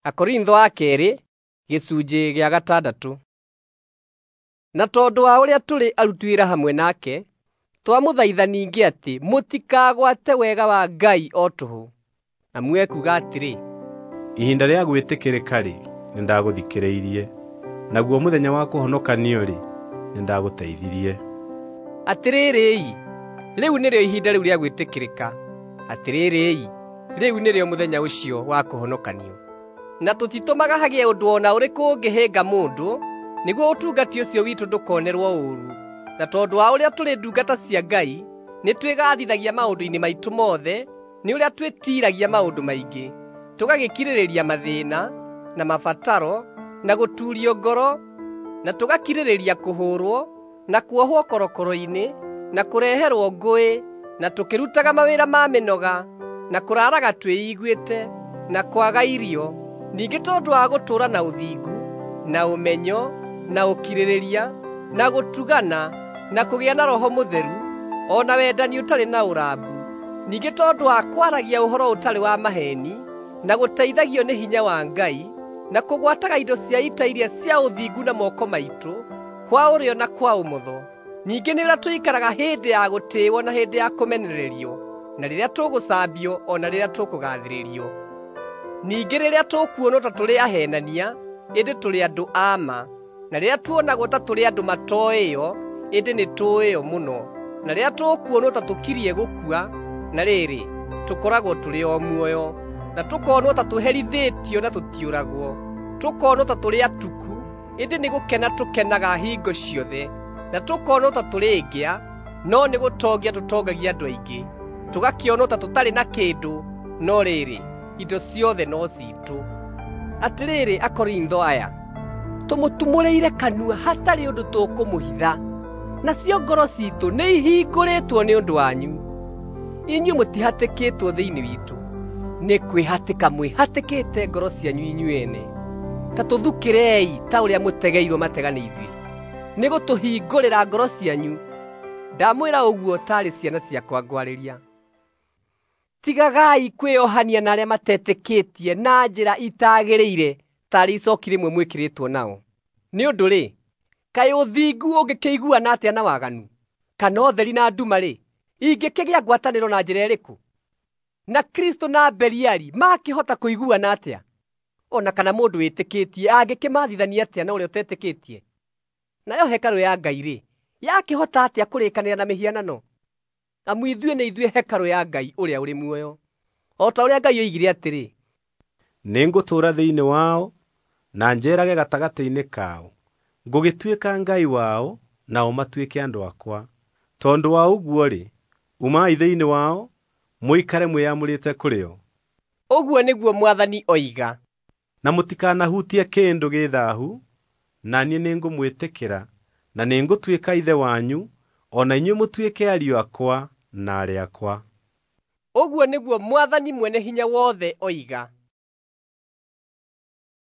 Akorintho a kerĩ gĩcunjĩ gĩa gatandatũ. Na tondũ wa ũrĩa tũrĩ aruti wĩra hamwe nake, twamũthaitha ningĩ atĩ mũtikagwate wega wa Ngai o tũhũ. Amu ekuuga atĩrĩ, Ihinda rĩa gwĩtĩkĩrĩka-rĩ, nĩndagũthikĩrĩirie, naguo mũthenya wa kũhonokanio-rĩ, nĩndagũteithirie. Atĩrĩrĩ-i, rĩu nĩrĩo ihinda rĩu rĩa gwĩtĩkĩrĩka; atĩrĩrĩ-i, rĩu nĩrĩo mũthenya ũcio wa kũhonokanio. Na tũtitũmaga hagĩe ũndũ o na ũrĩkũ ũngĩhĩnga mũndũ, nĩguo ũtungati ũcio witũ ndũkonerwo ũũru. Na tondũ wa ũrĩa tũrĩ ndungata cia Ngai, nĩtwĩgathithagia maũndũ-inĩ maitũ mothe nĩ ũrĩa twĩtiiragia maũndũ maingĩ, tũgagĩkirĩrĩria mathĩĩna, na mabataro, na gũtuurio ngoro, na tũgakirĩrĩria kũhũũrwo, na kuohwo korokoro-inĩ, na kũreherwo ngũĩ, na tũkĩrutaga mawĩra ma mĩnoga, na kũraaraga twĩiguĩte, na kwaga irio. Ningĩ tondũ wa gũtũũra na ũthingu, na ũmenyo, na ũkirĩrĩria, na gũtugana, na kũgĩa na Roho Mũtheru, o na wendani ũtarĩ na ũrambu. Ningĩ tondũ wa kwaragia ũhoro ũtarĩ wa maheeni, na gũteithagio nĩ hinya wa Ngai, na kũgwataga indo cia ita iria cia ũthingu na moko maitũ, kwa ũrĩo na kwa ũmotho. Ningĩ nĩ ũrĩa tũikaraga hĩndĩ ya gũtĩĩwo na hĩndĩ ya kũmenererio, na rĩrĩa tũgũcambio o na rĩrĩa tũkũgaathĩrĩrio. Ningĩ rĩrĩa tũkuonwo ta tũrĩ aheenania, ĩndĩ tũrĩ andũ a ma; na rĩrĩa tuonagwo ta tũrĩ andũ matooĩo, ĩndĩ nĩtũũĩo mũno; na rĩrĩa tũkuonwo ta tũkirie gũkua, na rĩrĩ, tũkoragwo tũrĩ o muoyo; na tũkonwo ta tũherithĩtio na tũtiũragwo; tũkonwo ta tũrĩ atuku, ĩndĩ nĩ gũkena tũkenaga hingo ciothe; na tũkonwo ta tũrĩ ngĩa, no nĩ gũtongia tũtongagia andũ aingĩ; tũgakĩonwo ta tũtarĩ na kĩndũ, no rĩrĩ, indo ciothe no ciitũ. Atĩrĩrĩ Akorintho aya, tũmũtumũrĩire kanua hatarĩ ũndũ tũkũmũhitha, nacio ngoro ciitũ nĩihingũrĩtwo nĩ ũndũ wanyu. Inyuĩ mũtihatĩkĩtwo thĩinĩ witũ, nĩ kwĩhatĩka mwĩhatĩkĩte ngoro cianyu inyuĩ ene. Ta tũthukĩrei ta ũrĩa mũtegeirwo matega nĩ ithuĩ, nĩ gũtũhingũrĩra ngoro cianyu. Ndamwĩra ũguo taarĩ ciana ciakwa ngwarĩria. Tigagai kwĩohania na arĩa matetĩkĩtie na njĩra itagĩrĩire taarĩ icooki rĩmwe mwĩkĩrĩtwo nao. Nĩ ũndũ-rĩ, kaĩ ũthingu ũngĩkĩiguana atĩa na waganu? Kana ũtheri na nduma-rĩ, ingĩkĩgĩa ngwatanĩro na njĩra ĩrĩkũ? Na Kristũ na Beliali makĩhota kũiguana atĩa? O na kana mũndũ wĩtĩkĩtie angĩkĩmathithania atĩa na ũrĩa ũtetĩkĩtie? Nayo hekarũ ya Ngai-rĩ, yakĩhota atĩa kũrĩkanĩra na mĩhianano? Amu ithuĩ nĩ ithuĩ hekarũ ya Ngai ũrĩa ũrĩ muoyo. O ta ũrĩa Ngai oigire atĩrĩ, Nĩngũtũũra thĩinĩ wao na njeerage gatagatĩ-inĩ kao. Ngũgĩtuĩka Ngai wao, nao matuĩke andũ akwa. Tondũ wa ũguo-rĩ, umai thĩinĩ wao, mũikare mwĩamũrĩte kũrĩ o. Ũguo nĩguo Mwathani oiga. Na mũtikanahutie kĩndũ gĩ thaahu, na niĩ nĩngũmwĩtĩkĩra, na nĩngũtuĩka ithe wanyu, o na inyuĩ mũtuĩke ariũ akwa na aarĩ akwa. Ũguo nĩguo Mwathani Mwene-Hinya-Wothe oiga.